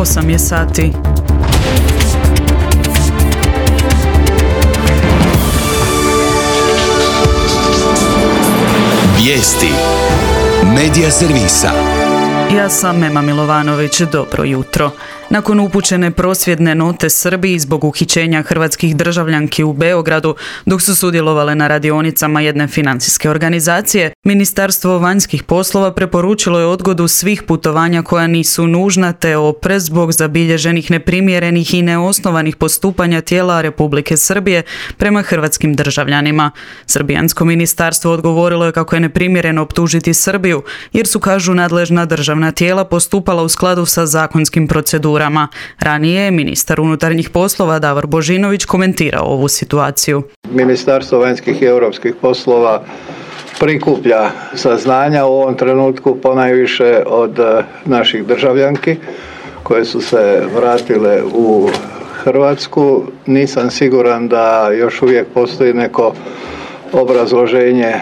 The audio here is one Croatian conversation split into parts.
8 je sati. Vijesti Medija servisa. Ja sam Ema Milovanović, dobro jutro. Nakon upućene prosvjedne note Srbiji zbog uhićenja hrvatskih državljanki u Beogradu, dok su sudjelovale na radionicama jedne financijske organizacije, Ministarstvo vanjskih poslova preporučilo je odgodu svih putovanja koja nisu nužna te oprez zbog zabilježenih neprimjerenih i neosnovanih postupanja tijela Republike Srbije prema hrvatskim državljanima. Srbijansko ministarstvo odgovorilo je kako je neprimjereno optužiti Srbiju, jer su, kažu, nadležna državna tijela postupala u skladu sa zakonskim procedurama. Ranije je ministar unutarnjih poslova Davor Božinović komentirao ovu situaciju. Ministarstvo vanjskih i europskih poslova prikuplja saznanja u ovom trenutku ponajviše od naših državljanki koje su se vratile u Hrvatsku. Nisam siguran da još uvijek postoji neko obrazloženje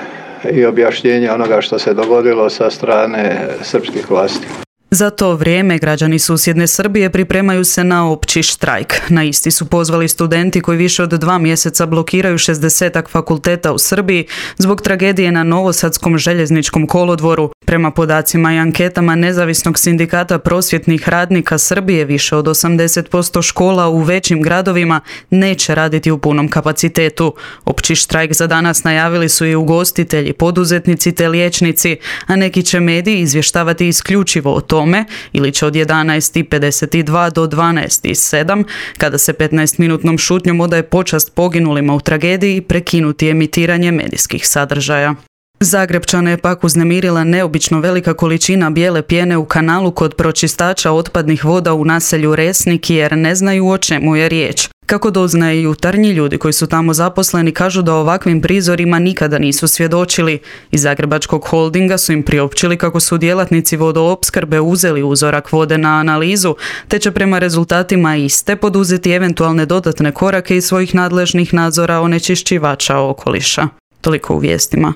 i objašnjenje onoga što se dogodilo sa strane srpskih vlasti. Za to vrijeme građani susjedne Srbije pripremaju se na opći štrajk. Na isti su pozvali studenti koji više od 2 mjeseca blokiraju 60-ak fakulteta u Srbiji zbog tragedije na Novosadskom željezničkom kolodvoru. Prema podacima i anketama Nezavisnog sindikata prosvjetnih radnika Srbije, više od 80% škola u većim gradovima neće raditi u punom kapacitetu. Opći štrajk za danas najavili su i ugostitelji, poduzetnici te liječnici, a neki će mediji izvještavati isključivo o tome ili će od 11:52 do 12:07, kada se 15-minutnom šutnjom odaje počast poginulima u tragediji, prekinuti emitiranje medijskih sadržaja. Zagrepčane je pak uznemirila neobično velika količina bijele pjene u kanalu kod pročistača otpadnih voda u naselju Resnik, jer ne znaju o čemu je riječ. Kako doznaje jutarnji, ljudi koji su tamo zaposleni kažu da ovakvim prizorima nikada nisu svjedočili. Iz Zagrebačkog holdinga su im priopćili kako su djelatnici vodoopskrbe uzeli uzorak vode na analizu, te će prema rezultatima iste poduzeti eventualne dodatne korake iz svojih nadležnih nadzora onečišćivača okoliša. Toliko u vijestima.